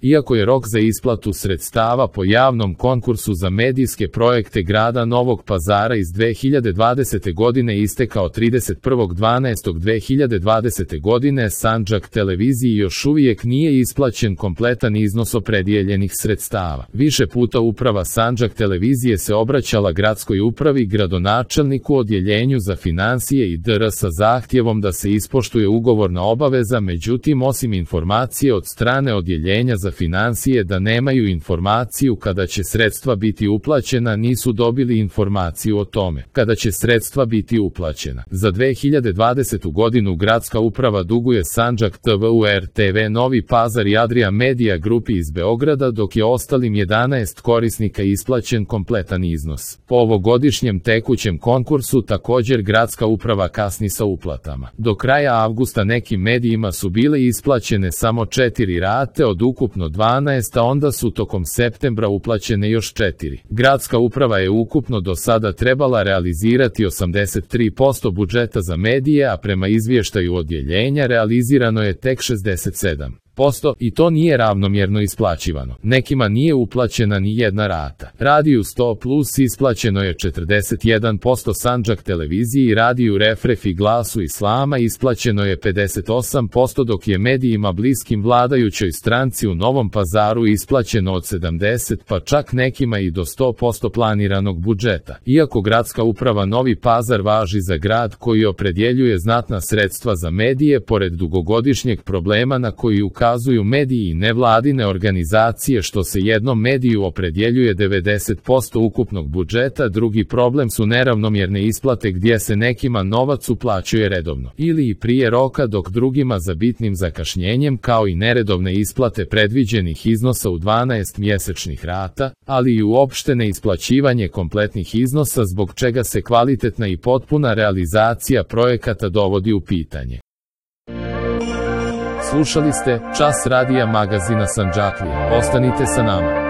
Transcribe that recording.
Iako je rok za isplatu sredstava po javnom konkursu za medijske projekte grada Novog Pazara iz 2020. godine istekao 31.12.2020. godine, Sandžak televiziji još uvijek nije isplaćen kompletan iznos opredijeljenih sredstava. Više puta uprava Sandžak televizije se obraćala gradskoj upravi, gradonačelniku, odjeljenju za finansije i dr. sa zahtjevom da se ispoštuje ugovorna obaveza, međutim osim informacije od strane odjeljenja za finansije da nemaju informaciju kada će sredstva biti uplaćena, nisu dobili informaciju o tome kada će sredstva biti uplaćena. Za 2020. godinu gradska uprava duguje Sandžak TV-u, RTV Novi Pazar i Adria Media grupi iz Beograda, dok je ostalim 11 korisnika isplaćen kompletan iznos. Po ovogodišnjem tekućem konkursu također gradska uprava kasni sa uplatama. Do kraja avgusta nekim medijima su bile isplaćene samo 4 rate od ukupno 12, a onda su tokom septembra uplaćene još 4. Gradska uprava je ukupno do sada trebala realizirati 83% budžeta za medije, a prema izvještaju odjeljenja realizirano je tek 67%. I to nije ravnomjerno isplaćivano. Nekima nije uplaćena ni jedna rata. Radiju 100 plus isplaćeno je 41%, Sandžak televiziji i Radiju Refref i Glasu Islama isplaćeno je 58%, dok je medijima bliskim vladajućoj stranci u Novom Pazaru isplaćeno od 70, pa čak nekima i do 100% planiranog budžeta. Iako gradska uprava Novi Pazar važi za grad koji opredjeljuje znatna sredstva za medije, pored dugogodišnjeg problema na koji ukazuju mediji i nevladine organizacije što se jednom mediju opredjeljuje 90% ukupnog budžeta, drugi problem su neravnomjerne isplate gdje se nekima novac uplaćuje redovno ili i prije roka, dok drugima za bitnim zakašnjenjem, kao i neredovne isplate predviđenih iznosa u 12 mjesečnih rata, ali i uopšte neisplaćivanje kompletnih iznosa, zbog čega se kvalitetna i potpuna realizacija projekata dovodi u pitanje. Slušali ste Čas radija magazina Sandžaklija. Ostanite sa nama.